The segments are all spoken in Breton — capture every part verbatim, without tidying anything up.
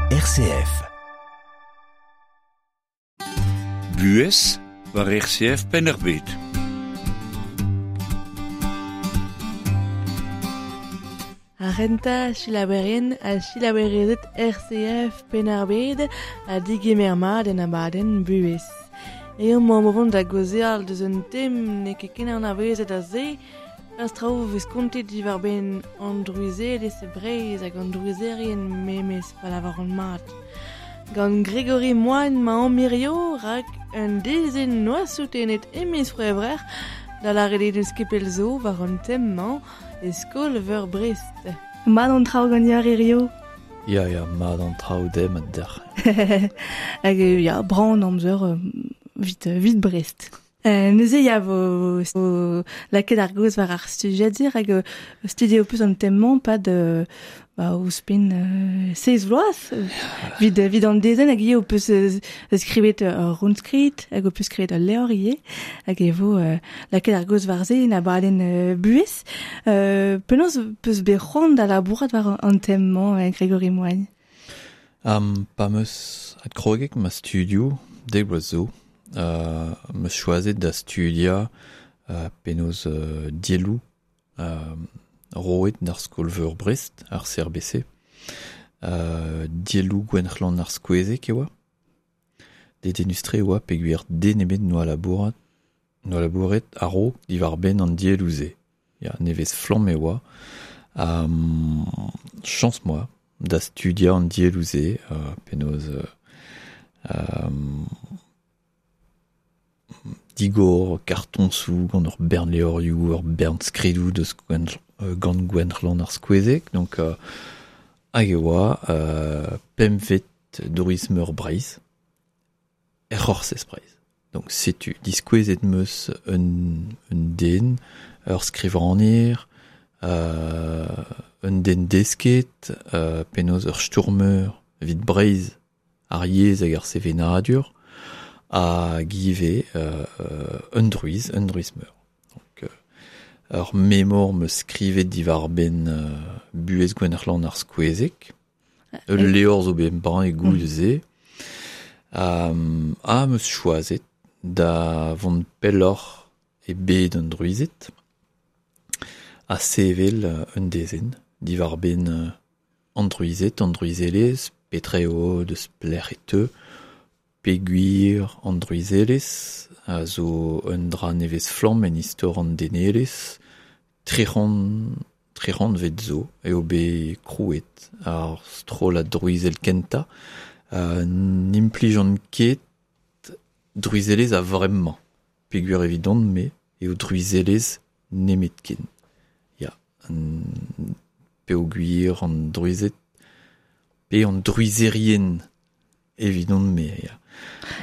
R C F. Buhez war R C F Penn-ar-Bed. Ar renta silaberien a silaberezet R C F Penn-ar-Bed a digemer mat en abadenn buhez. Eo mañ vont da gozeal deus un tem n'eo ket ken anavezet a se, ar traoù vez kontet diwar ben an drouizelez e Breizh hag an drouizerien memes pa lavaran mat. Gant Grégory Moine ma an mirio rak un dezenn noa soutenet e miz C'hwevrer da lâret eo deus ket pell zo war an tem-mañ e skol-veur Brest. Mat an traoù gant ar hirio? Ya, ya, mat an traoù dem ad dec'h. Hag ya, brav an amzer vit, vit Brest. Euh, neuze ya vo, vo lakaet ar gaoz war ar studiadir hag euh, studio peus an tem-mañ pad euh, ba, ouzhpenn euh, seiz vloaz vid, vid an dezenn hag ivez ho peus euh, skrivet ur rundskrid hag ho peus skrivet ul levr ivez hag e vo euh, lakaet ar gaoz war se en abadenn euh, buhez. Euh, penaos peus bet c'hoant da labourat war an tem-mañ euh, Grégory Moine? Um, pa meus adkrogek ma studio dek bloaz zo. Euh, meus choazet da studia euh, penaos euh, dielloù euh, roet d'ar skol-veur Brest, ar C R B C. Euh, dielloù Gwenc'hlan ar Skouezeg e oa. Dedennus-tre e oa peogwir den ebet noa labourat, noa labouret a-raok diwar-benn an dielloù-se. Ya, nevez flamm e oa. Um, chañs moa da studia an dielloù-se, euh, penaos, euh, um, digor, karton sou, gant ur bern levrioù, ur bern skridoù deus gwen, euh, gant Gwenc'hlan ar Skouezeg. Donc, euh, hag e oa, euh, pempvet drouiz meur Breizh, er C'horsez Breizh. Donc, setu, diskouezet meus un, un den, ur skrivagner, euh, un den desket, euh, penaos ur stourmeur evit Breizh, ar yezh hag ar sevenadur, hag ivez, euh, un drouiz, un drouiz meur. Donc, euh, ur memor meus skrivet diwar benn, euh, buhez Gwenc'hlan ar Skouezeg. Ul Et levr zo bet embann e Mm. goude-se. Um, ha meus choazet da vont pelloc'h e bed an drouized ha sevel, euh, un dezenn diwar benn, euh, an drouized, an drouizelez, petra eo deus pelec'h e teu, peogwir an drouizelez a zo un dra nevez flamm en istor an denelez, trec'hant, trec'hant vet zo eo bet krouet ar strollad drouizel kentañ. Euh, n'implijan ket drouizelez a vremañ, peogwir evidon me eo drouizelez nemetken. Ya, an peogwir an drouized pe an drouizerien evidon me, ya.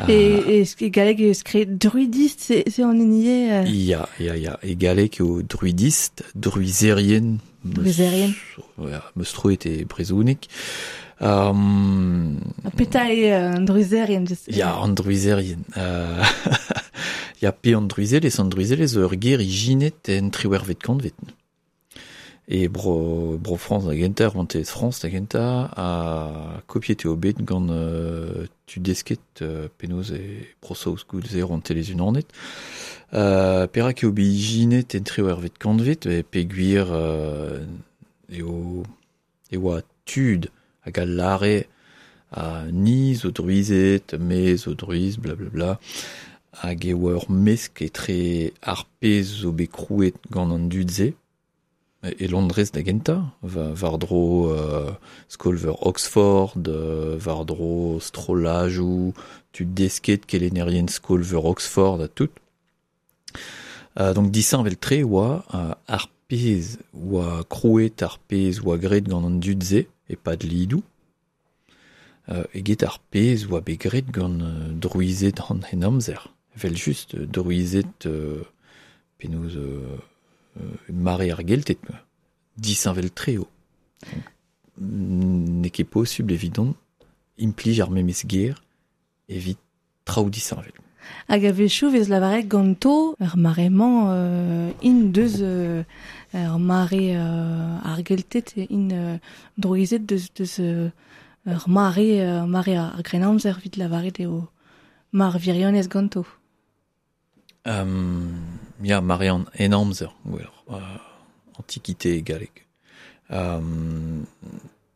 Et, Euh, et ce qui est galleg eo skrivet druidiste, c'est, c'est en enier, euh... Ya, ya, ya. E galleg eo druidiste, druizerien, meus Druizerien. Ya, meus troet e brezhoneg. Um, Ha petra eo, euh, an druizerien, je sais. Ya, an druizerien. Euh, ya, pe an druizelez, an druizelez ur ger ijinet en triwec'hvet kantved. E bro, bro Frañs da gentañ, rouantelezh Frañs da gentañ, ha kopiet eo bet gant, euh, tud desket, euh, penaos e Bro-Saoz goude rouantelezh unanet. Euh, perak eo bet ijinet en triwec'hvet kantved, e peogwir, euh, eo, e oa tud hag a lâre a ni zo drouized, me zo drouiz, bla bla bla, hag e oa ur mesk etre ar pezh zo bet krouet gant an dud-se, e Londrez da gentañ, va-, war-dro, euh, skol-veur Oxford, euh, war-dro strollajoù, tud desket kelennerien skol-veur Oxford ha tout. Euh, donc disheñvel-tre oa, euh, ar pezh oa krouet, ar pezh oa graet gant an dud-se, e pad lidoù, euh, eget ar pezh oa bet graet gant, euh, drouized an henamzer. Evel just, euh, drouized, euh, penaos, euh, euh, mare ar Gelted, quoi. Disheñvel-tre eo. N'eo ket posubl evidon implij ar memes ger evit traoù disheñvel. Hag a-wechoù vez lavaret ganto ur mare-mañ, euh, int deus, euh, ur mare, euh, ar Gelted, int, euh, drouized deus, deus, euh, ur mare, ur mare ar Grennamzer evit lavaret eo mar virionez ganto. Um, ya, mare an Henamzer, gwelloc'h, uh, antiquité galleg. Um,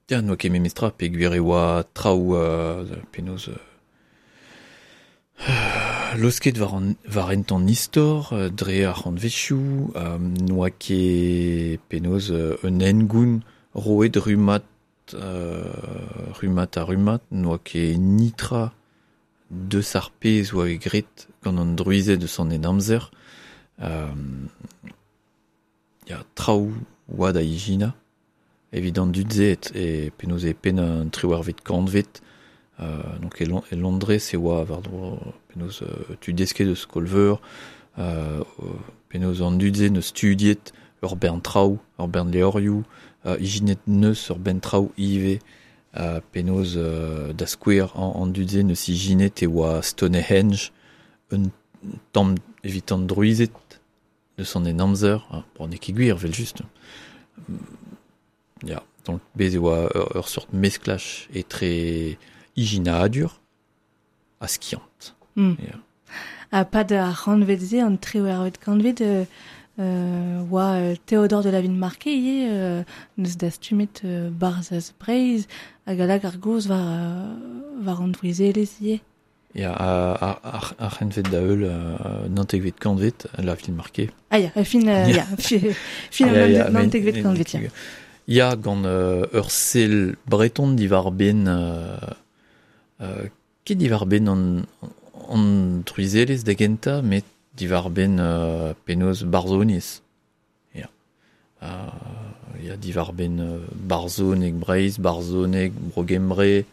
ya, n'oa ket memestra peogwir e oa traoù uh, penaos... Uh, losket war an, war hent an istor, dre ar c'hantvezhioù, um, n'oa ket penaos uh, un hengoun roet rummad, uh, rummad ha rummad, n'oa ket nitra deus ar pezh oa graet gant an druized eus an Henamzer. Um, ya, traoù oa da ijina, evit an dud-se e penaos e penn an triwec'hvet kantved. Euh, donc e, Lon- e Londrez e oa war-dro penaos euh, tud desket eus skol-veur, euh, penaos an dud-se neus studiet ur bern traoù, ur bern levrioù, euh, ijinet neus ur bern traoù ivez, euh, penaos euh, da skouer an, an dud-se neus ijinet e oa Stonehenge, un tamm evit an druized deus an Henamzer, ah, bon, n'eo ket gwir, vel just. Ya, donc bez e oa ur, ur sort mesklaj etre ijinadur ha skiant. Mm. Yeah. Ha pad ar c'hantved-se, an triwec'hvet kantved, euh, euh, oa euh, Théodore de la Villemarqué ivez, euh, neus dastumet euh, Barzhaz Breizh hag a lak ar gaoz war, euh, war an drouizelezh ivez. Ya, ar, ar, ar c'hantved da heul, euh, naontekvet kantved, la Villemarqué. Ah ya, fin, euh, ya, fi, fin Ya, ya, naontekvet mais- kantved, ya. Ya, gant euh, ur sell breton diwar benn euh, euh, ket diwar benn an, an druizelezh da gentañ, met diwar benn euh, penaos barzhoniezh. Ya. Euh, ya, diwar benn euh, barzhoneg Breizh, barzhoneg Bro-Gembre,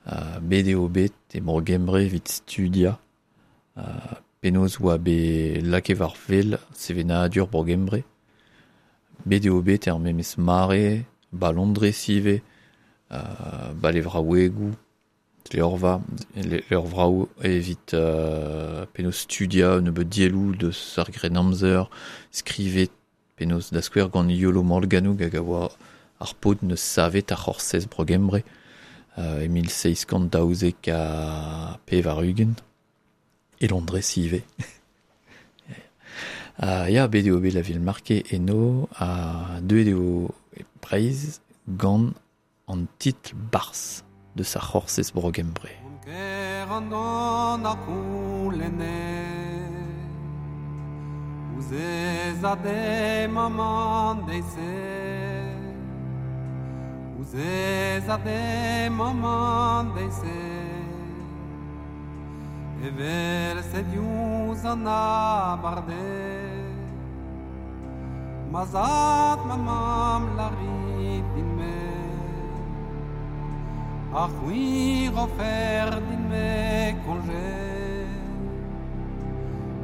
euh, bet eo bet e Bro-Gembre evit studia. Euh, penaos oa bet lakaet war wel sevenadur Bro-Gembre. Bet eo bet er memes mare, ba Londrez ivez, euh, ba levraouegoù, levrva, levrvaoù evit euh, penaos studia un nebeud dielloù deus ar Grennamzer, skrivet penaos da skouer gant Iolo Morganwg hag a oa ar paotr neus savet ar c'horsez Bro-Gembre, euh, e mil seizh kant daouzek ha pevar-ugent, e Londrez ivez. Uh, ya, bet eo bet la Villemarqué eno, ha deuet eo e Breizh gant an titl Barzh deus ar c'horsez Bro-Gembre. An ar c'houlenne, ouzh ez a de maman deiz-se, ouzh ez a de maman deiz-se, evel se diouzh an abarde, ma zad, ma mamm larit din-me, ha c'hwi rofer din-me koñje,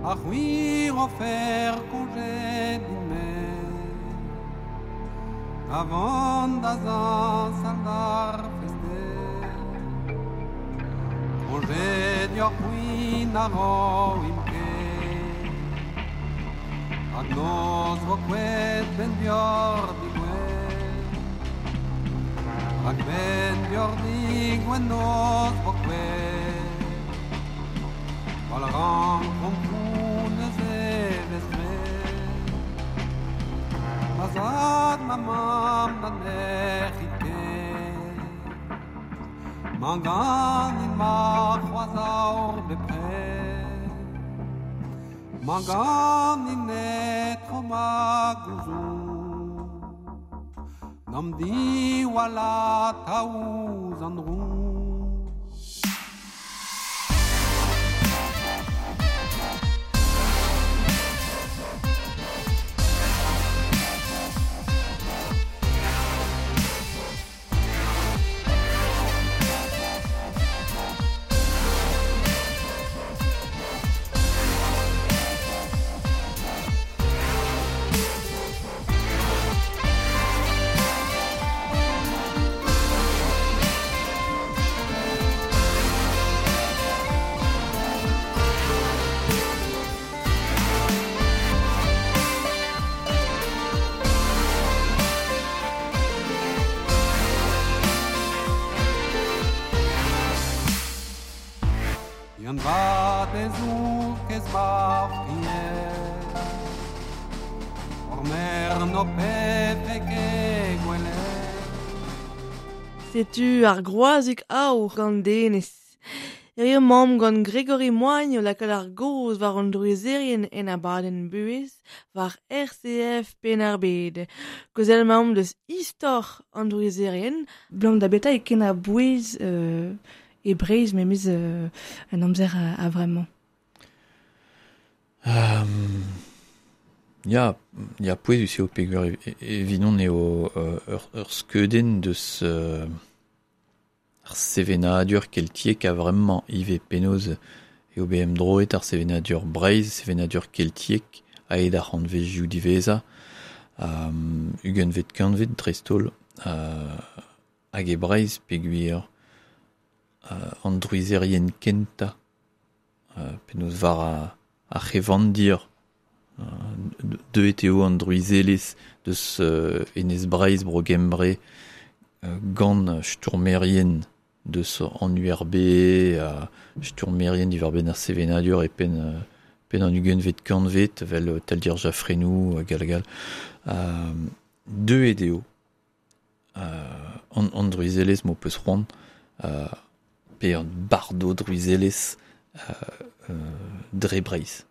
ha c'hwi rofer koñje din-me, avant da zañsal d'ar fest-deiz. Koñje dioc'h c'hwi na roimp ket, hag noz vo kouet ben bioc'h digouet, hag ben bioc'h digouet noz vo kouet, wal rankomp neuze vez graet. Ma zad, ma mamm na nec'hit ket, mañ ganin ma c'hoazh aour bepred, mañ ganin etro ma gouzoug, n'am diwallat ouzh an droug. Pezour kez ma fried Or mer no pefe ket gwelet. Setu ar groazik aour gant denez. Hirio mamm gant Gregory Moign o lakaat ar goz war an drouizerien en abadenn buhez war R C F Penn-ar-Bed. Kozel mamm deus istor an drouizerien. Blam da beta e ken a bouez euh, e breiz memez euh, an amzer a, a vraiment. Um, ya, ya pouezus eo peogwir evidon eo euh, ur, ur skeudenn deus euh, ar sevenadur keltiek a vraiment ivez penaos eo B M droet ar sevenadur Breizh, sevenadur keltiek aet ar c'hantvezioù diwezhañ, um, ugentvet kantved dreist-holl, uh, hag e Breizh peogwir uh, an drouizerien kentañ, uh, penaos war a ar c'hevandir, uh, deuet eo an drouizelezh deus uh, Enez Breizh bro Gembre, uh, gant sturmerien deus an U R B, uh, sturmerien diwar-benn ar sevenadur e penn, uh, penn an ugentvet kantved, vel Taldir Jaffrenou, uh, gal gal. Uh, deuet eo uh, an, an drouizelezh m'ho peus c'hoant, uh, pe an bardo drouizelezh uh, euh, dre Breizh.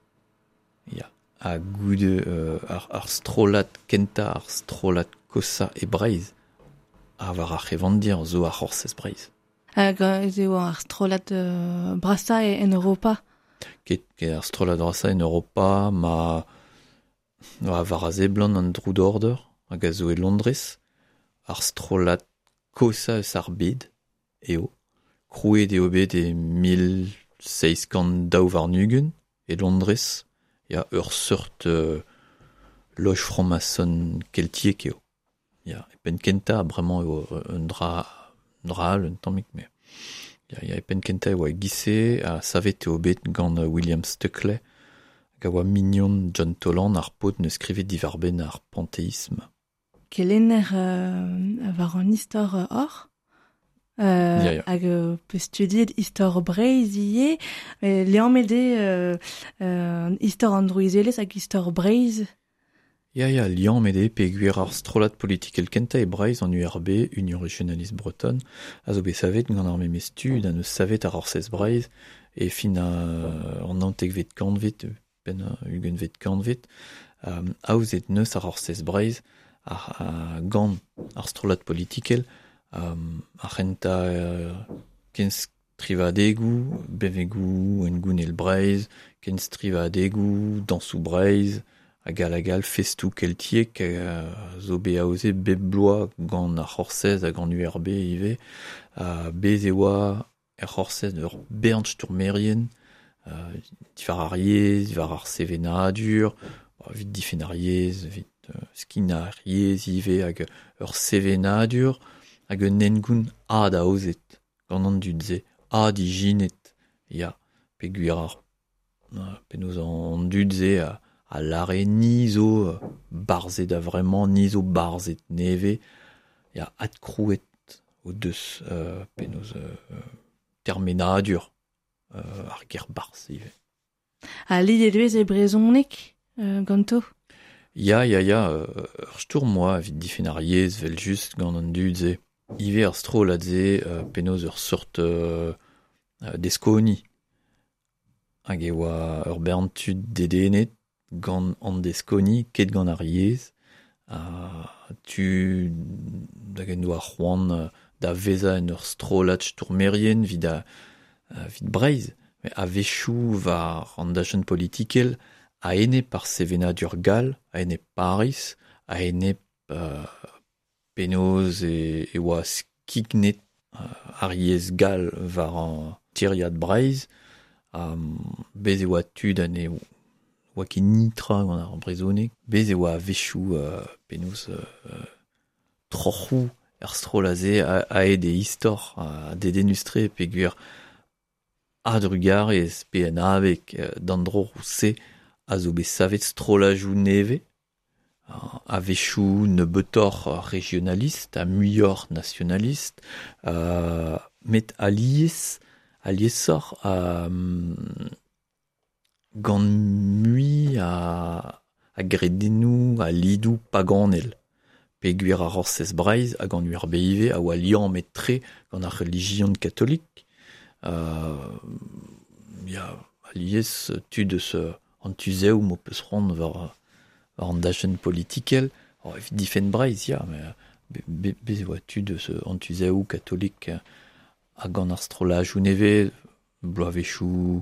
Ya. Ha goude euh, ar, ar strollad kentañ, ar strollad kosañ e Breizh, ha war ar c'hevandir zo ar c'horsez Breizh. Hag ez eo ar strollad euh, brasañ en Europa. Ket, ket ar strollad brasañ en Europa, ma war war a seblant an Droud Order, hag a zo e Londrez, ar strollad kosañ eus ar bed, eo. Krouet eo bet e mil seizh kant daou warn-ugent e Londrez, ya ur seurt euh, loge franc-maçon keltiek eo. Ya, e penn kentañ bremañ eo un dra, un dra all un tammig, mais ya, ya e penn kentañ e oa e-giz-se, ha savet eo bet gant William Stukeley, hag a oa mignon John Toland ar paotr neus skrivet diwar-benn ar panthéisme. Kelenner euh, war an istor hor? Euh, Ya, ya. Hag euh, peus studiet istor Breizh ivez, euh, liammet eo euh, euh, istor an drouizelezh hag istor Breizh. Ya, ya, liammet eo peogwir ar strollad politikel kentañ e Breizh an U R B, Union Régionaliste Bretonne, a zo bet savet gant ar memes tud ha neus savet ar Orsez Breizh e fin a, an naontekvet kantved, penn ugentvet kantved, euh, aozet neus ar Orsez Breizh ar, a, gant ar strollad politikel, Um, ar c'hentañ euh, kenstrivadegoù, bevegoù engounel Breizh, kenstrivadegoù, dañsoù Breizh, hag all hag all, festoù keltiek, euh, zo bet aozet bep bloaz gant ar C'horsez hag an U R B ivez. Uh, bez e oa er C'horsez ur bern stourmerien, euh, diwar ar yezh, diwar ar sevenadur, evit difenn ar yezh, evit euh, skin ar yezh ivez hag ur sevenadur, hag un engoun ad aozet gant an dud-se, ad ijinet, ya, peogwir ar, penaos an dud-se a, a lare ni zo barzhet a vraiment, ni zo barzhet nevez, ya, adkrouet o deus euh, penaos euh, termenadur euh, ar ger barzh ivez. Ha lidet vez e brezhoneg euh, ganto? Ya, ya, ya, euh, ur stourm oa evit difenn ar yezh vel just gant an dud-se. Ivez ar strollad-se euh, penaos ur seurt euh, deskoni. Hag e oa ur bern tud dedennet gant an deskoni, ket gant ar yezh, ha tu da gen doa c'hoant da vezañ en ur strollad stourmerien evit a, evit Breizh. Met a-wechoù war an dachenn politikel a-enep ar sevenadur gall, a-enep Paris, a-enep euh, penaos e, e oa skignet euh, ar yezh gall war an tiriad Breizh, um, bez e oa tud ha ne oa ket nitra gant ar brezhoneg, bez e oa a-wechoù euh, penaos euh, troc'hoù er strollad-se aet e istor, a dedennus-tre peogwir a-drugarez pe en abeg d'an dro-se a zo bet savet strollajoù nevez, a-wechoù nebeutoc'h régionaliste, ha muioc'h nationaliste, euh, met alies, aliesoc'h, euh, gant mui a, a gredennoù, a lidoù paganel. Pe gwir ar Orsez Breizh hag an U R B I V a oa liammet tre gant ar relijion katolik. Euh, ya, alies tud eus an tuzev m'o peus c'hoant war, war an dachenn politikel. Oh, evit difenn Breizh, ya, mais be, be, e oa tud eus an tuzev katolik hag an ar strollajoù nevez, bloavezhioù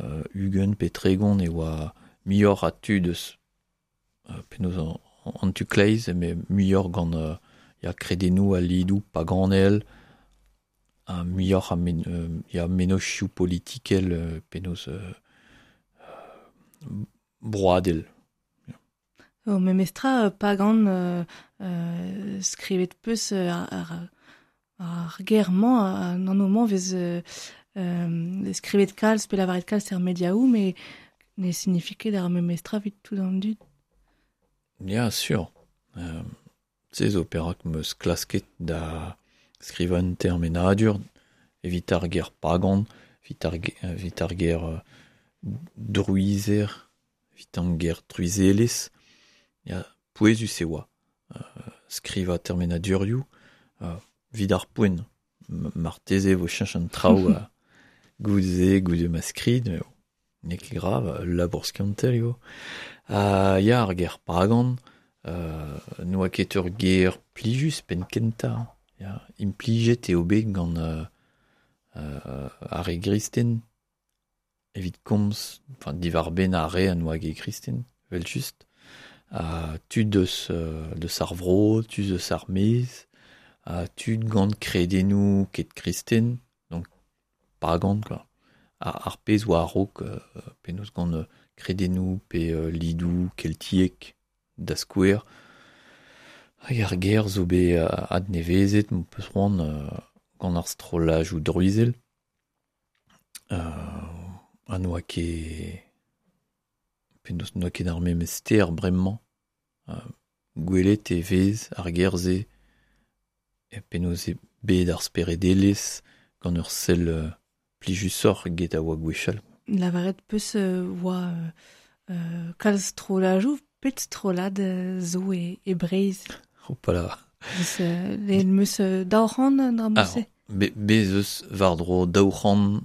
euh, ugent pe tregont e oa muioc'h a tud eus euh, penaos an, an tu kleiz, mais muioc'h gant euh, ya kredennoù a lidoù paganel, ha muioc'h a men, euh, ya mennozhioù politikel euh, penaos euh, euh, broadel. O memestra pagan euh, euh, skrivet peus ar, ar, ar ger-mañ an anv-mañ vez euh, euh, skrivet kalz pe lavaret kalz er mediaoù, mais ne signifie ket ar memestra evit tout an dud. Ya, sur. Euh, se zo perak meus klasket da skrivañ un termenadur evit ar ger pagan, evit ar, evit ar ger euh, druizer, evit an ger druizelez. Ya, pouezus e oa. Euh, skrivañ termenadurioù, euh, evit ar poent. Marteze vo cheñch an traoù uh, goude goude ma skrid, mais n'eo ket grav, labour skiantel eo. Uh, ya, ar ger pagan, euh, n'oa ket ur ger plijus penn kentañ. Ya, implijet eo bet gant euh, euh, ar re gristen, evit komz, enfin, diwar benn ar re an oa ket kristen, vel just. Uh, tud eus, euh, deus ar vro, tud eus ar maez, uh, tud gant kredennoù ket kristen, donc pagan, quoi. Ar, ar pezh oa a-raok, euh, penaos gant euh, kredennoù pe euh, lidoù keltiek da skouer. Hag ar ger zo bet euh, adnevezet, m'o peus c'hoant euh, gant ar strollajoù druizel. Euh, ha n'oa ket penaos n'oa ket ar memes ster bremañ. Euh, gwelet e vez ar ger-se e penaos eo bet ar speredelezh gant ur sell euh, plijusoc'h get a oa gwechall. Lavaret peus euh, oa euh, kalz strollajoù, pet strollad euh, zo e, e Breizh. Hopala. Deus, euh, lehen meus euh, daou c'hant an dra Alors, be, bez eus war-dro daou c'hant,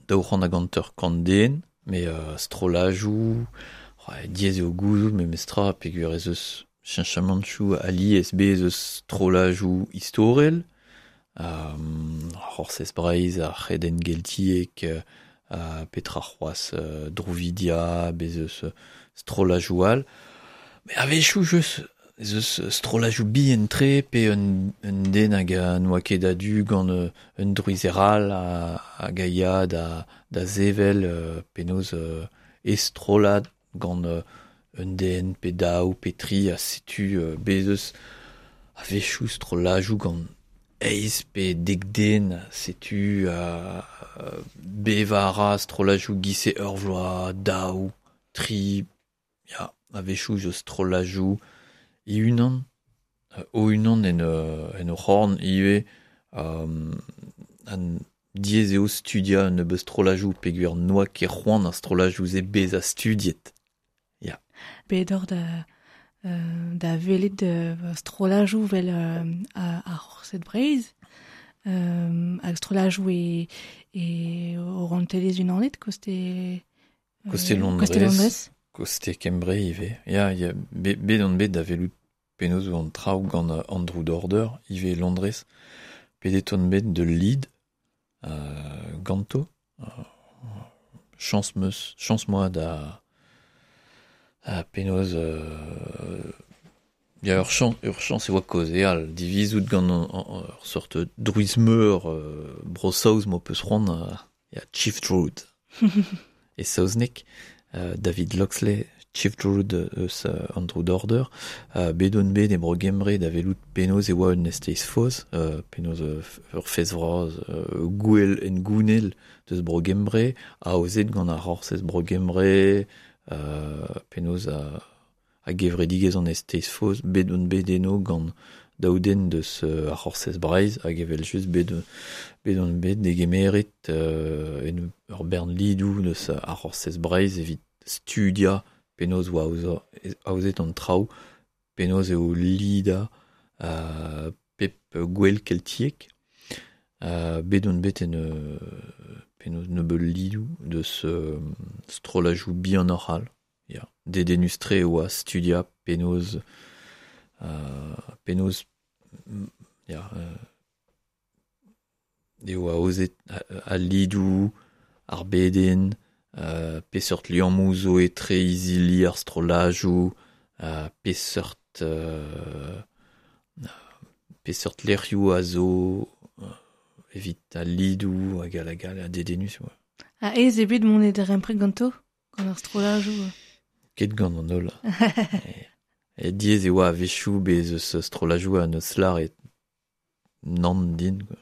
daou c'hant hag hanter kant den, mais euh, strollajoù, ouais, diaes eo gouzout memestra peogwir ez eus cheñchamantoù alies bez eus strollajoù istorel, euh, ar Orsez Breizh, ar C'hredenn Geltiek, euh, petra c'hoazh, euh, Drouvidia, bez eus strollajoù all. Mais a-wechoù just ez eus strollajoù bihan-tre pe un, un den hag a n'oa ket a-du gant euh, un druizer all a, hag a ya da, da sevel euh, penaos euh, e strollad gant euh, un den pe daou pe tri a setu euh, bez eus a-wechoù strollajoù gant eizh pe dek den, setu euh, bevañ a ra strollajoù giz-se ur vloaz, daou, tri, ya, a-wechoù zo strollajoù e-unan, euh, o-unan en, euh, en o c'horn ivez, euh, an diaes eo studiañ un nebeud strollajoù peogwir n'oa ket c'hoant ar strollajoù-se bezañ studiet. Ya. Bet oc'h da, euh, da welet euh, strollajoù vel euh, ar Orsez Breizh, euh, hag strollajoù e, e Rouantelezh Unanet, koste, euh, Koste Londrez. Koste Londrez. Koste Kembre ivez. Ya, ya, be, bet on bet da welout penaos an traoù gant Andrew Dorder, ivez Londrez. Pedet on bet de Leeds, euh, ganto. Euh, chance meus, chance moi da a penaos euh, ya ur chance, ur chance e oa kaozeal divizout gant an, an, ur sort druizmeur euh, Bro-Saoz m'o peus c'hoant, euh, ya Chief Druid. E saozneg, euh, David Loxley, Chief Druid eus euh, Andrew Dorder, euh, bet on bet e bro Gembre da welout penaos e oa un esteiz faos, euh, penaos euh, ur fez vras, euh, gouel en gounel deus bro Gembre, aozet gant ar Orsez bro Gembre, euh, penaos a, a gevredigezh an esteiz faos, bet on bet eno gant daou den deus euh, ar C'horsez Breizh hag evel just bet bet on bet degemeret euh, en ur bern lidou deus ar C'horsez Breizh evit studia penaos oa aozet an traoù, penaos eo lida euh, pep gwell keltiek. Euh, bet on bet en euh, penaos nebeud lidou deus euh, strollajou bihan oral. Ya, dedennus-tre oa studia penaos euh, penaos ya euh, eo aozet al lidou, ar beden, euh, peseurt liammoù zo etre izili ar strollajou, euh, peseurt euh, peseurt lec'hioù a zo euh, evit al lidou hag al hag al a dedennus. Ouais. Ha ez eo bet mont e darempred ganto, gant ar strollajou? Ket gant an holl. e, e diaes e oa a-wechoù bez eus strollajou a neus lâret nann din, quoi.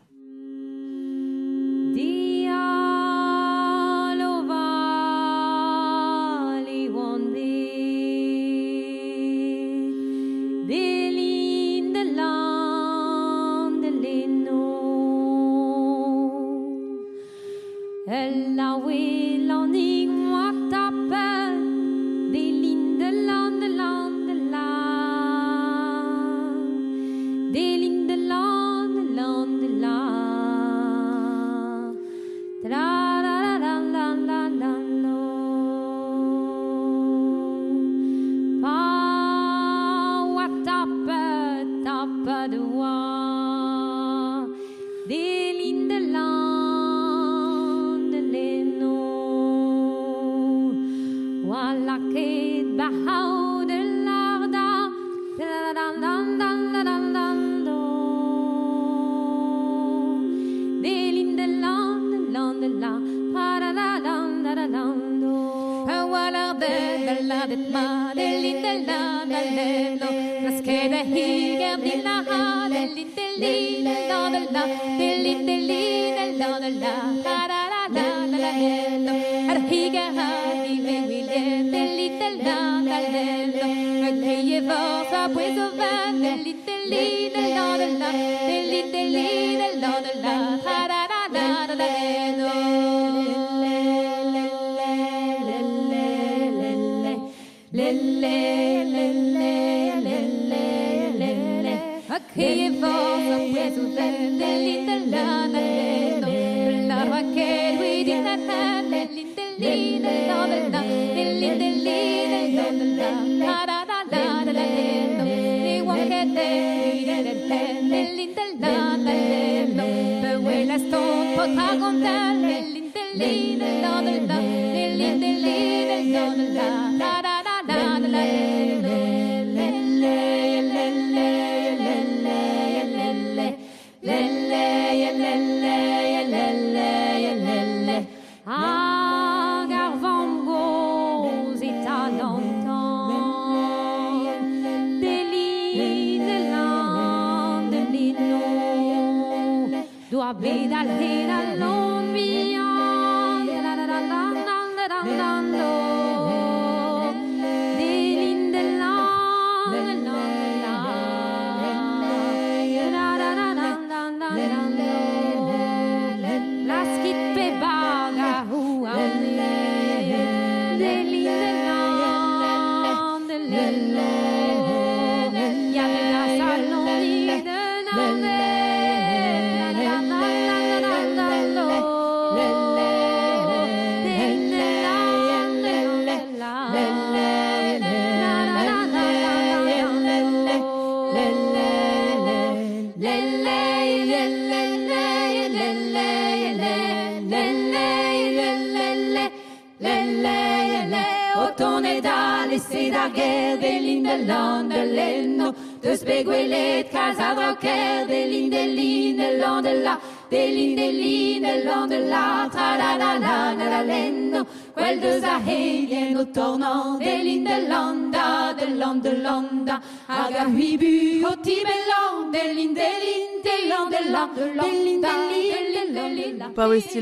Paouez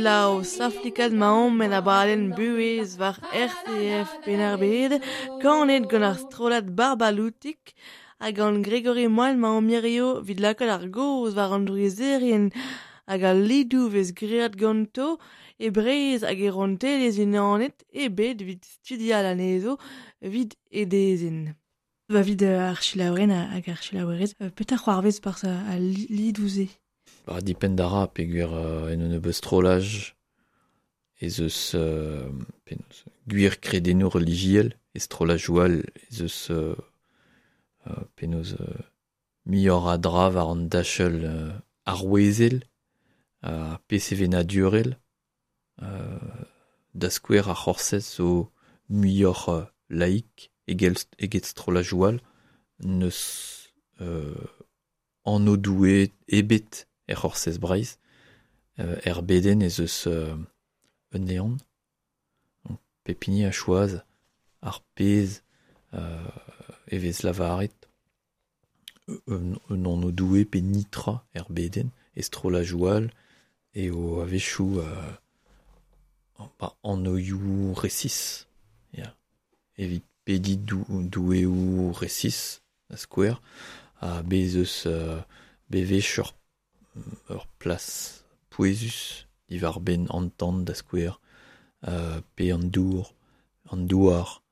saflikad maomp en abadenn buhez war R C F Penn-ar-Bed, kanet gant ar strollad Barbaloutik, Hag an Gregory Moal ma an mirio vid lakaat ar goz war an drouizerien hag al lidou vez great ganto e Breizh hag e rontelez unanet e bet vid studial anezo vid edezin. Ba vid ar chilaouren hag ar chilaouerez, petra c'hoarvez par a lidou-ze? Ba dipen dara peogwir euh, en un nebeud strollaj ez eus euh, penaos gwir kredennoù relijiel e strollajoù all ez eus euh, euh, penaos euh, muioc'h a dra war an dachell euh, arouezel uh, pe sevenadurel euh, da skouer ar c'horsez zo muioc'h euh, laik egel, eget strollajoù all neus euh, anv Doue ebet er c'horsez Breizh euh, er beden ez eus euh, un neon pep hini a choaz ar pezh euh, e vez lavaret un, un anv Doue pe nitra er beden e strollajoù all eo a-wechoù euh, ba, anvioù resis ya evit pediñ dou, doueoù resis da skouer ha bez eus euh, bevech ur, ur plas pouezus diwar-benn an tan da skouer euh, pe an dour an douar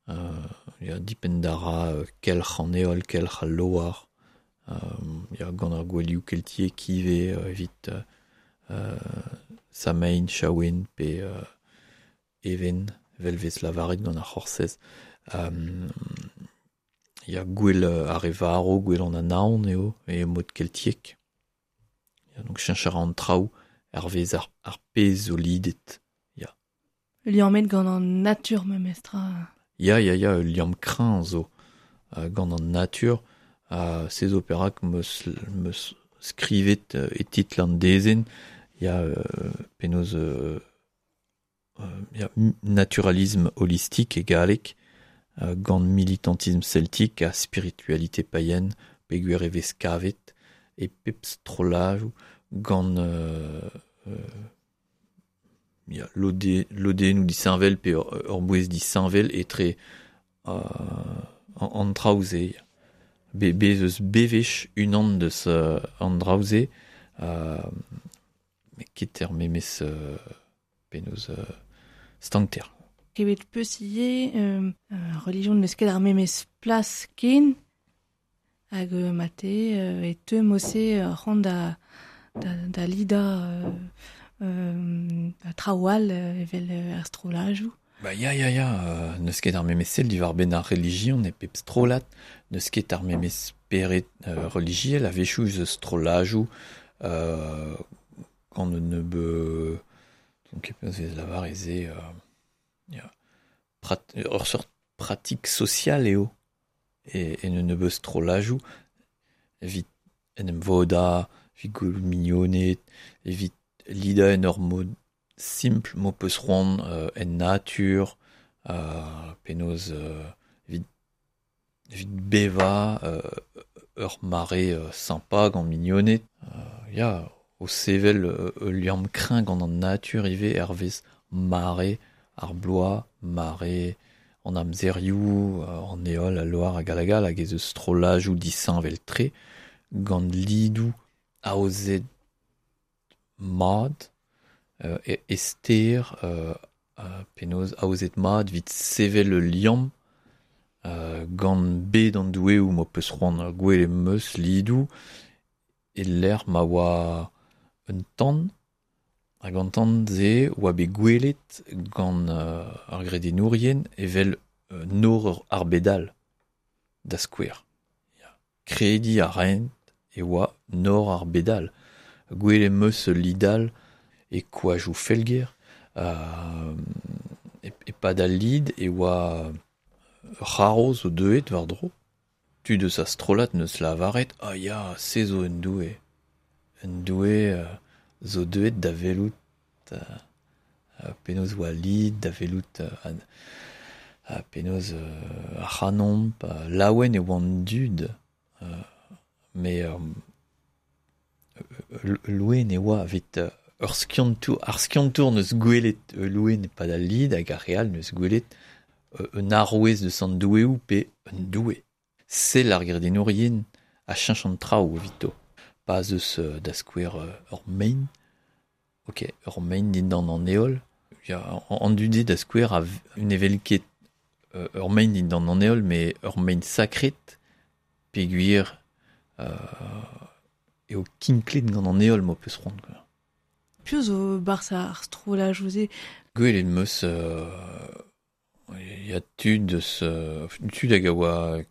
euh, ya dipen dara euh, kelc'h an heol kelc'h al loar euh, ya gant ar gouelioù keltiek ivez euh, evit euh, Samain, Chaouen pe euh, Even evel vez lavaret gant ar c'horsez euh, ya gwell ar re varo, gwell an anaon eo e mod keltiek ya, donc cheñch a ra an traoù hervez ar, ar pezh zo lidet ya. Liammet gant an natur memestra. Ya, ya, ya, ul liamm kreñv zo euh, gant an natur uh, se zo perak meus, meus skrivet euh, e titl an dezenn ya euh, penaos euh, euh, ya naturalisme holistique e galleg euh, gant militantisme celtique ha spiritualité païenne peogwir e vez kavet e pep strollajoù gant euh, euh, ya lode, lodennoù disheñvel pe ur, ur bouez disheñvel etre euh, an traoù-se. Be, bez eus bevech unan deus euh, an draoù-se euh, met ket er memes euh, penaos euh, stankter. Kevet peus ivez euh, euh, religion n'eus ket ar memes plas ken hag euh, mate euh, e teu mose euh, c'hoant da, da, da lida euh, euh, da traoù all euh, evel euh, ar strollajoù. Ba ya, ya, ya, euh, n'eus ket ar memes sell diwar-benn ar relijion e pep strollad, n'eus ket ar memes spered euh, relijiel a-wechoù eus strollajoù euh, gant un nebeud donc penaos vez lavar ez eo euh, ya, prat, ur seurt pratik social eo e, en un nebeud strollajoù evit en em vodañ, evit gwelout mignoned, evit lidañ en ur mod simpl m'ho peus c'hoant euh, en natur euh, penaos euh, evit, evit bevañ euh, ur mare euh, sympa gant mignoned euh, ya o sevel euh, ul liamm kreñv gant an natur ivez hervez mare ar bloaz, mare an amzerioù, euh, an heol, al loar hag hag all hag ez eus strollajoù disheñvel-tre gant lidoù aozet mat euh, e, e ster euh, euh, penaos aozet mat evit sevel ul liamm euh, gant bed an doueoù m'ho peus c'hoant gwelet meus lidoù e lec'h ma oa un tan hag an tan-se oa bet gwelet gant euh, ar gredennourien evel euh, nor ar bedal da skouer. Ya. Krediñ a raent e oa nor ar bedal. Gwelet meus lidal e koajoù Felger euh, e, e pad al lid e oa ur c'harv zo deuet war-dro. Tud eus a strollad neus lavaret ah ya, se zo un doue. Un doue euh, zo deuet da welout euh, euh, penaos oa lid, da welout euh, an, euh, penaos euh, ar c'hanomp, euh, laouen e oant dud euh, mais euh, loen e oa evit euh, ur skiantour, ar skiantour neus gwelet euh, loen e pad al lid hag ar re all neus gwelet euh, un arouez deus an doueoù pe un doue. Sell ar gredenourien a cheñch an traoù evito. Pa zeus euh, da skouer euh, ur main, ok, ur main dindan an heol, ya, an dude da skouer a un evel ket euh, ur main dindan an heol, mais ur main sakret, peogwir euh, eo kinklet gant an heol mo peus c'hoant, quoi. Piv zo barzh ar strollajoù-se? Gwelet meus euh, ya tud eus euh, tud hag a oa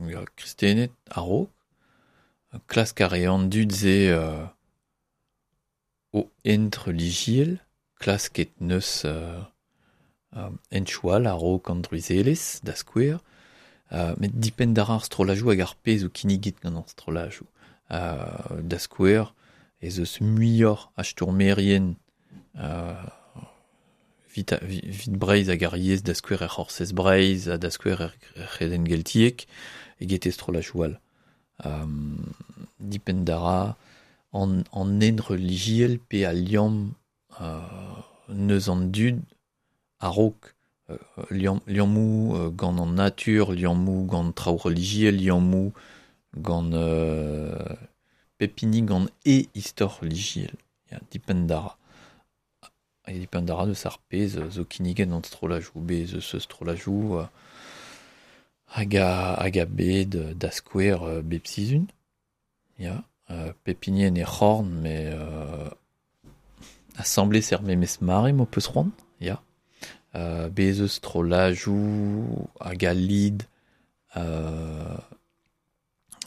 ya, kristenet a-raok, klask a rean dud se euh, o hent relijiel, klasket neus euh, euh, hent-choual a-raok an druizelezh, da skouer, euh, met dipenn d'ar ar strollajoù hag ar pezh o kinniget gant ar strollajoù. Euh, da skouer, ez eus muioc'h a stourmerien euh, vit, a, vit Breizh hag ar yezh da skouer er C'horsez Breizh ha da skouer er C'hredenn Geltiek eget e strollajoù all. Um, dipenn d'ara an, an hent relijiel pe al liamm euh, neus an dud a-raok euh, liamm, liammoù euh, gant an natur, liammoù gant traoù relijiel, liammoù gant euh, pep hini gant e istor relijiel. Ya, dipenn d'ara. Hag dipenn d'ara deus ar pezh zo kinniget an strollajoù, bez eus strollajoù euh, hag a, hag a bet da skouer euh, bep sizhun. Ya, euh, pep hini en e c'horn, mais euh, assemblés er memes mare mo peus c'hoant, ya. Euh, bez eus strollajoù hag a lid euh,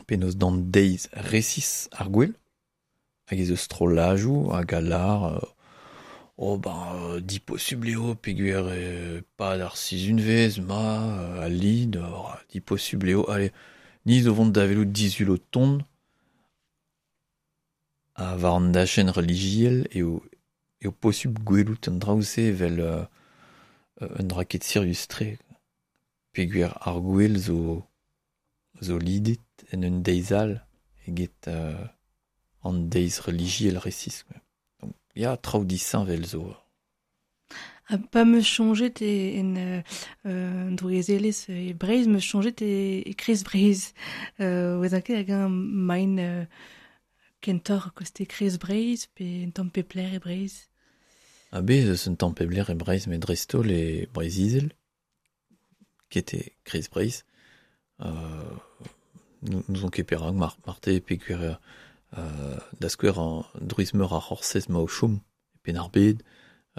penaos d'an deiz resis ar gwell, hag ez eus strollajoù hag a lar euh, oh ben euh, diposubl eo peogwir euh, pad ar sizhunvezh ma euh, a lid, oh, diposubl eo, allez, ni zo vont da welout disul o tont ha war an dachenn relijiel eo eo posubl gwelout an draoù-se evel euh, un dra ket sirius-tre. Peogwir ar gwell zo zo lidet en un deiz all eget euh, an deiz relijiel resis. Quoi. Donc, ya, traoù disheñvel zo. Ha pa meus soñjet e en euh, euh, drouizelezh e Breizh, meus soñjet e, e Kreiz Breizh. Euh, oa ket hag un maen euh, kentoc'h koste Kreiz Breizh pe un tamm pepler e Breizh. Ha bez eus un tamm pebler e Breizh, met dreist-holl e Breizh-Izel, ket e Kreiz Breizh. Euh, nous on ket perak mar, marte peogwir euh, da skouer an drouiz-meur ar C'horsez ma o chom e Penn-ar-Bed,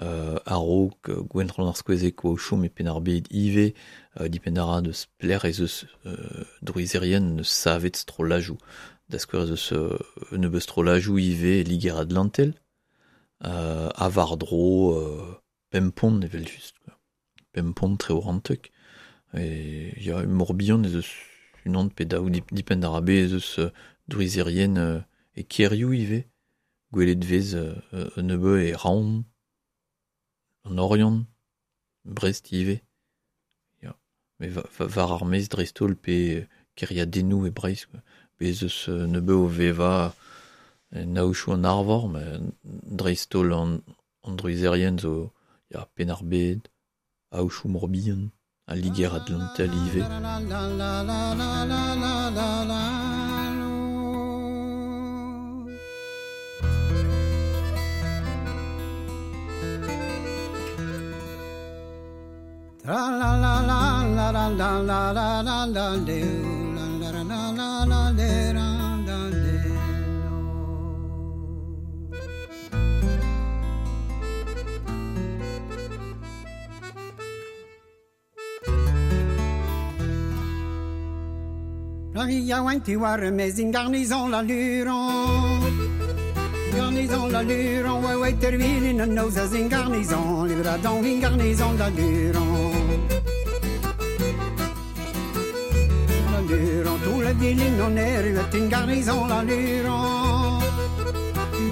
euh, a-raok Gwenrann ar Skoazeg oa o chom e Penn-ar-Bed ivez, euh, dipenn a ra deus pelec'h ez eus euh, drouizerien neus savet strollajoù. Da skouer ez eus euh, nebeut strollajoù ivez e Liger-Atlantel, euh, ha war-dro euh, Pempont evel-just, quoi. Pempont Treorantek. E ya, Morbihan ez eus unan pe daou dipenn ar bez ez eus euh, drouizerien euh, e Kerioù ivez, gwelet vez euh, un nebeud e Raon, an Oriant, Brest ivez. Ya. Mais va, va, war ar maez dreist-holl pe kêriadennoù e Breizh, quoi. Bez eus euh, nebeud o vevañ en aochoù an Arvor, mais dreist-holl an, an drouizerien zo ya, Penn-ar-Bed, aochoù Morbihan, a Liger-Atlantel ivez. Tra la la la la la la la la la la la la la la la la la. La ria oant war mez in garnison la luron. Garnison la luron, ouais ouais tervilin an noz az in garnison, livradon in garnison la luron. La luron, tout la vilin on erruet in garnison la luron.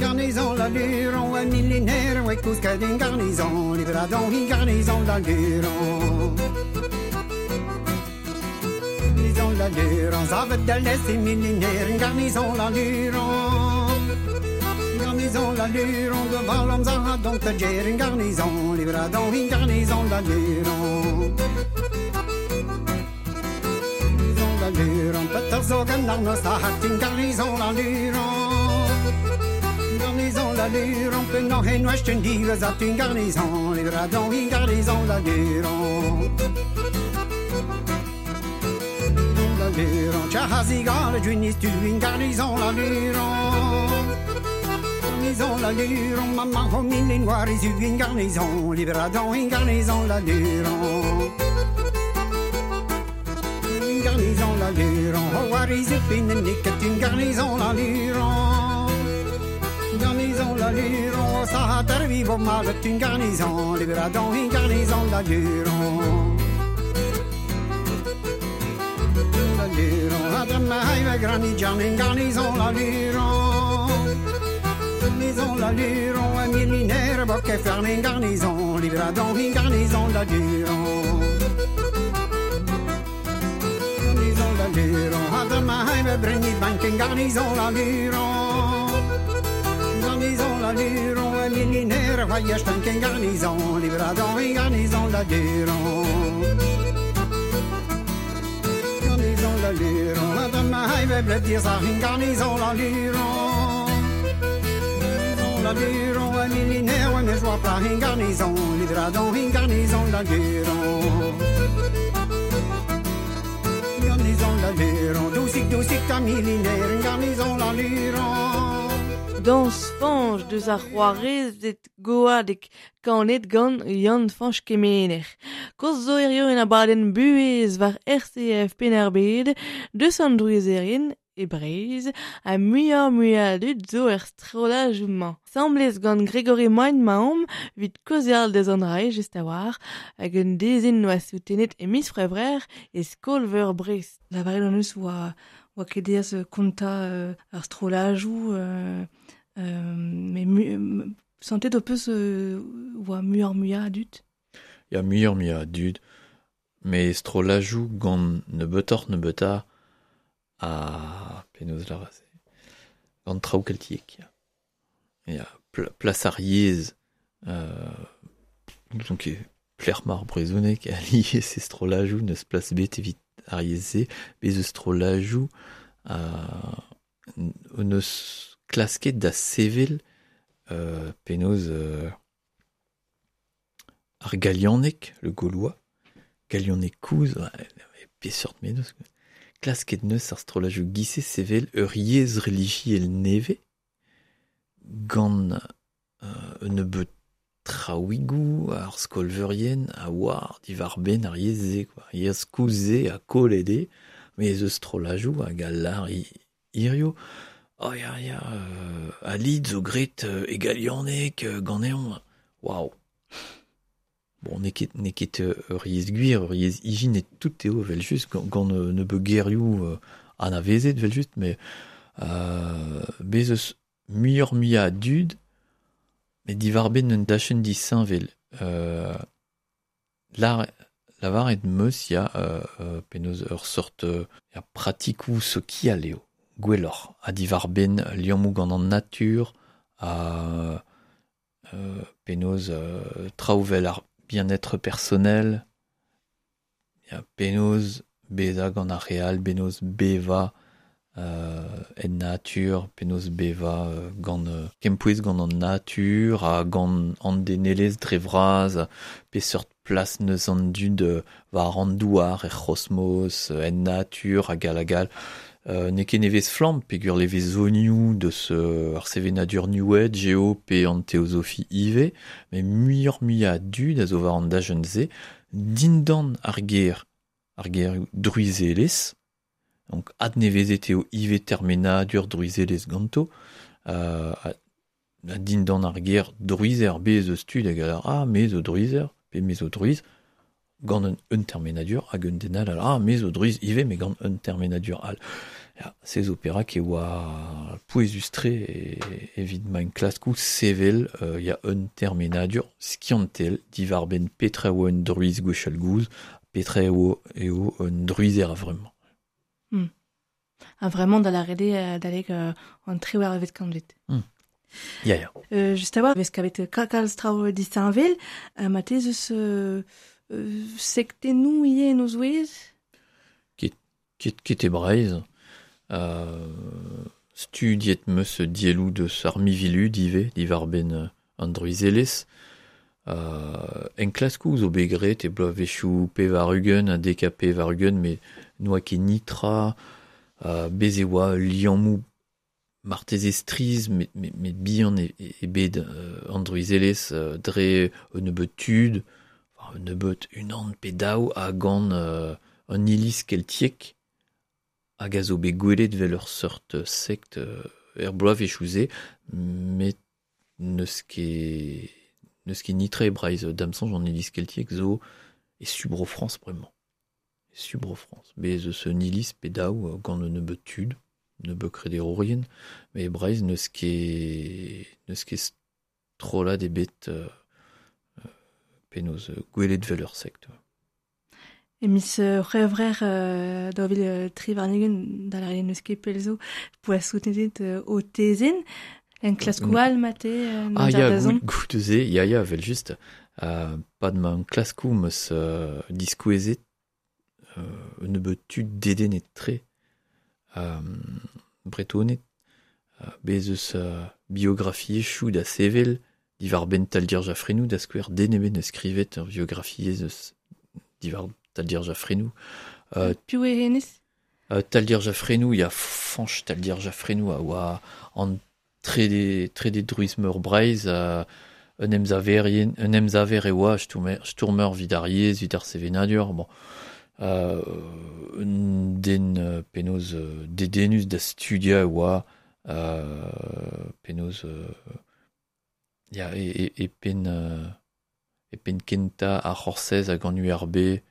Garnison la luron, ouais millénaire, ouais kousket in garnison, livradon in garnison la luron. La luron, zavet da les millénaire, garnison la luron. Garnison la luron, devant l'homme zara donc ta gère, garnison, livradon, garnison la luron. Garnison la luron, peter zogen arnos a hat in garnison la luron. Garnison la luron, penan hen oesten divez at in garnison, livradon in garnison la luron. La luron, chahazigal, junis tu in garnison la luron. Garnison la luron, maman homine noir isu in garnison, livradon in garnison la luron. Garnison la luron, oh arizu pinen niket une garnison la luron. Garnison la luron, ça a tervi mal une garnison, libéradon une garnison la luron. La luron, adama haive grani jan une garnison la luron. Garnison la luron, un millénaire boke ferme une garnison, libéradon une garnison la luron. La luron, adama haive breni bank in garnison la luron. Garnison la luron, un millénaire voyage tank in garnison, livradon in garnison la luron. Garnison la luron, adama haive bled in garnison la luron. Garnison la luron, un millénaire mais joie plat in garnison, livradon in garnison la luron. Garnison la luron, doucik doucik ta millénaire, garnison la luron. Dans Fañch deus ar c'hoarezed goadek kanet gant Yann Fañch Kemener. Koz zo hirio en abadenn buhez war R C F Penn-ar-Bed, deus an drouizerien e Breizh, ha muioc'h muiañ dud zo er strollajoù-mañ. Samblez gant Gregory Moine maomp evit kaozeal deus an rae just a-walc'h hag un dezenn oa soutenet e miz C'hwevrer e Skol-Veur Brest. Lavaret hon eus oa, oa ket aes kontañ euh, ar strollajoù, euh, euh, mais mu, euh, santet ho peus euh, oa muioc'h muiañ a dud? Ya muioc'h muiañ a dud, mais strollajoù gant nebeutoc'h nebeutañ a penaos lavaret gant traoù keltiek. Ya, ya pl- plas ar yezh, euh, donc plec'h-mar brezhoneg a lies e strollajoù neus plas bet evit ar yezh-se, bez eus strollajoù euh, neus klasket da sevel euh, penaos euh, ar galianeg, le gaulois, galianeg kouz, ouais, peseurt menos, klasket neus ar strollajoù gise sevel ur yezh relijiel nevez gant euh, un nebeud traouigoù ar skolveurien a oar diwar benn ar yezh-se, quoi. Yezh koulz-se ha kollet eo, mais eus strollajoù hag a lar hirio. Oh ya ya, euh, a lid zo gret euh, e galianeg euh, ganeomp. Waouh. Bon, n'eo ket, n'eo ket ur yezh gwir, ur yezh ijin et tout eo vel just, gant, gant nebeud gerioù euh, anavezet vel just, mais euh, bez eus muioc'h muiañ a dud, mais diwar benn un dachenn disheñvel. Euh, lar, lavaret meus ya euh, euh, penaos ur sort euh, ya pratikoù sokial eo, gwelloc'h, ha diwar benn liammoù gant an natur, ha euh, penaos euh, traoù vel ar bien-être personnel, ya penaos bezañ gant ar re all, penaos bevañ euh, en natur, penaos bevañ euh, gant euh, kempouez gant an natur, ha gant an denelezh dre vras, peseurt plas neus an dud euh, war an douar, er c'hosmos, en natur, hag all hag all. Euh, n'eo ket nevez flamm, peogwir levezonioù deus euh, ar sevenadur New Age eo pe an théosophie ivez, mais muioc'h muiañ a dud a zo war an dachenn-se, dindan ar ger, ar ger druizelezh, donc adnevezet eo ivez termenadur druizelezh ganto, euh, a dindan ar ger druizer, bez eus tud hag a lar, ah, me zo druizer, pe me zo druiz, gant un, un termenadur hag un den all, ah, me zo druiz ivez, mais gant un termenadur all. Ya, se zo perak e oa pouezus-tre evit ma enklaskoù sevel euh, ya un termenadur skiantel diwar benn petra eo un druiz gwechall gouz, petra eo, eo un druizer a vremañ. Hmm. Ah, vraiment da la rede d'alek euh, an triwec'hvet kantved. Hmm. Ya, ya. Euh, just a-walc'h, vez kavet kalz traoù disheñvel, euh, ma tez eus euh, euh, sektennoù ivez en o zouez? Ket, Ket, ket e Breizh. Euh, studiet meus dielloù deus ar mivilud ivez, diwar benn an druizelezh. Euh, enklaskoù zo bet graet e bloavezhioù pevar-ugent ha dek ha pevar-ugent, met n'oa ket nitra, euh, bez e oa liammoù marteze strizh, met, met, met bihan e, e bet euh, an druizelezh euh, dre un nebeud tud, enfin, un nebeud unan pe daou a gant euh, an iliz keltiek hag a zo bet gwelet vel ur seurt sekt euh, er bloavezhioù-se, met n'eus ket n'eus ket nitra e Breizh da'm soñj an iliz keltiek zo e su Bro-Frañs bremañ. E su Bro-Frañs. Bez eus un iliz pe daou gant un nebeud tud, nebeud krederourien, met e Breizh n'eus ket n'eus ket strollad ebet euh, penaos gwelet vel ur sekt. E mis c'hwevrer euh, daou vil tri warn-ugent da lâret n'eus ket pell zo poa soutenet euh, o tezenn en klaskoù all mate euh, Ah ya, gout, gout eus e, ya ya, vel just. Euh, pad ma klaskoù meus euh, diskouezet euh, un nebeud tud dedennet tre euh, bretoned euh, bez eus euh, biografiezhioù da sevel diwar benn Taldir Jaffrenou da skouer den ebet neus skrivet ur biografiezh eus diwar Taldir Jaffrenou. Euh, Piv eo hennezh? euh, Taldir Jaffrenou, ya Fañch Taldir Jaffrenou a oa an trede, trede druiz meur Breizh, euh, un emsaverien, un emsaver e oa stourmer, stourmer vid ar yezh, vid ar sevenadur, bon. Euh, un den euh, penaos euh, dedennus da studia e oa, euh, penaos euh, ya e, e, e penn euh, e penn kentañ ar C'horsez hag an U R B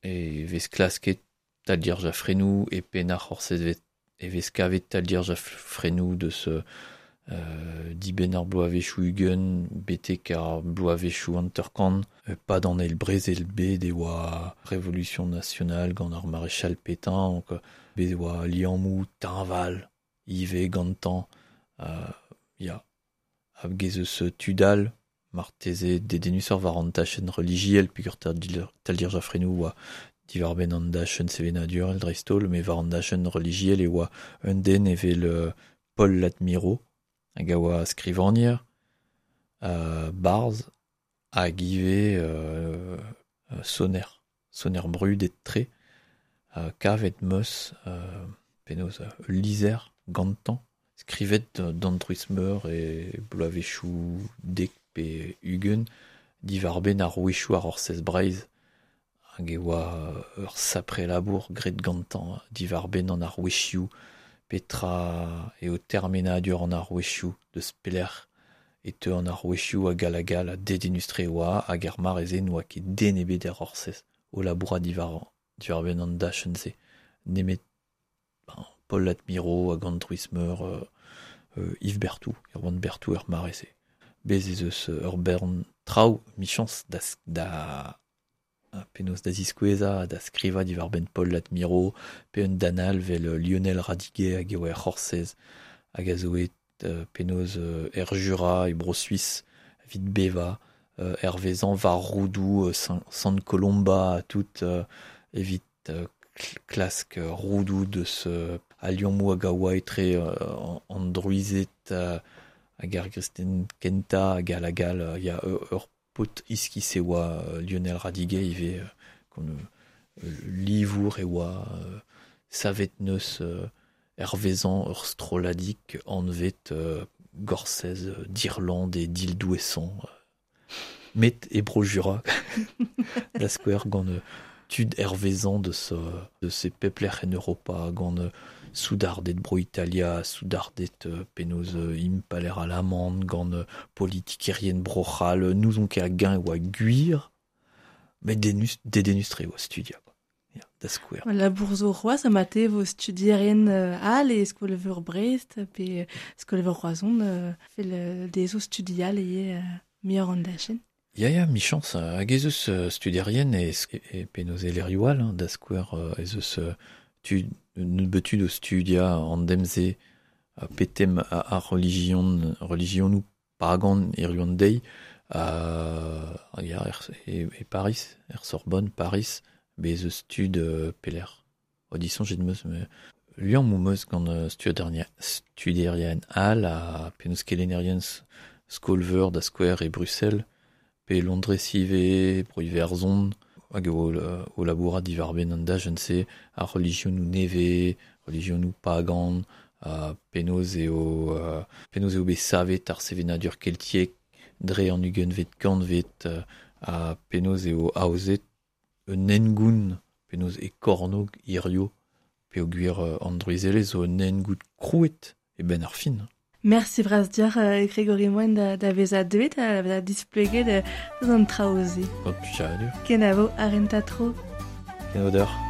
e vez klasket Taldir Jaffrenou e penn ar C'horsez vet, e vez kavet Taldir Jaffrenou deus euh, dibenn ar bloavezhioù ugent betek ar bloavezhioù hanter-kant, pad an eil brezel bet e oa Révolution nationale gant ar maréchal Pétain, donc bet e oa liammoù teñval ivez gantañ, euh, ya hag ez eus tud all marteze dedennusoc'h war an tachenn relijiel peogwir Taldir, Taldir Jaffrenou oa diwar benn an dachenn sevenadurel dreist-holl, met war an dachenn relijiel e oa un den evel euh, Paul Ladmirault hag a oa skrivagner, euh, barzh hag ivez euh, soner, soner brudet tre, euh, kavet meus euh, penaos euh, lizher gantañ, skrivet d'an druiz meur e bloavezhioù dek pe ugent diwar benn ar rouezhioù ar Orsez Breizh hag e oa ur sapre labour graet gantañ diwar benn an arouezhioù petra eo termenadur an arouezhioù deus pelec'h e teu an arouezhioù hag all hag all ha dedennus-tre oa hag ar mare-se n'oa ket den ebet er Orsez o labourat diwar diwar benn an dachenn-se nemet ben, Paul Ladmirault hag an druiz meur euh, euh, Yves Berthou, Erwan Berthou er mare-se. Bez ez eus ur bern traoù michañs da, da penaos da ziskouezañ da skrivañ diwar benn Paul Ladmirault pe un danal vel Lionel Radiguet hag e oa er C'horsez hag a zo et euh, penaos euh, er Jura e Bro-Suisse evit bevañ euh, hervezañ war roudoù euh, Sant Colomba ha tout euh, evit euh, klask roudoù deus euh, a liammoù hag a oa etre euh, an druized euh, hag ar gristen kentañ hag all hag all, ya ur paotr iskis e oa Lionel Radiguet ivez gant euh, livour e oa euh, savet neus euh, hervezañ ur strolladig anvet euh, Gorsez d'Irlande et d'Île-d'Ouessant met e Bro-Jura da skouer gant tud hervezañ deus deus e pep lec'h en Europa gant soudarded Bro-Italia, soudarded penaos impaler alamant gant politikerien Bro-C'hall, n'ouzon ket hag-eñ e oa gwir, met dedennus, dedennus-tre oa studia. Ya, da skouer. Labour zo c'hoazh ha mate vo studierien all e skol-veur Brest pe skol-veur Roazhon euh, fel dezo studial ivez euh, muioc'h an dachenn. Ya, ya, michañs, hag ez eus studierien e, e penaos e lec'hioù all, hein, da skouer ez eus tud, nebeud tud o studia an demze petem ar relijion, religionoù pagan hiziv an deiz, euh, ya, er, e, e Paris, er Sorbonne, Paris, bez eus tud euh, pelec'h. O disoñjet 'm eus me liammoù 'm eus gant studierien all ha penaos kelennerien skol-veur da skouer e Bruxelles, pe Londrez ivez, bro Iwerzhon, hag eo o labourat diwar-benn an dachenn-se, ar relijionoù nevez, relijionoù pagan, ha penaos eo, euh, penaos eo bet savet ar sevenadur keltiek dre an ugentvet kantved, ha penaos eo aozet un hengoun, penaos e kornog hirio, peogwir an drouizelezh zo un hengoun krouet e benn ar fin. Merci bras deoc'h, euh, Grégory Moine da, da vezañ deuet, da vezañ displeget euh, an traoù-se. Gant plijadur. Kenavo ar renta tro. Kenavo deoc'h.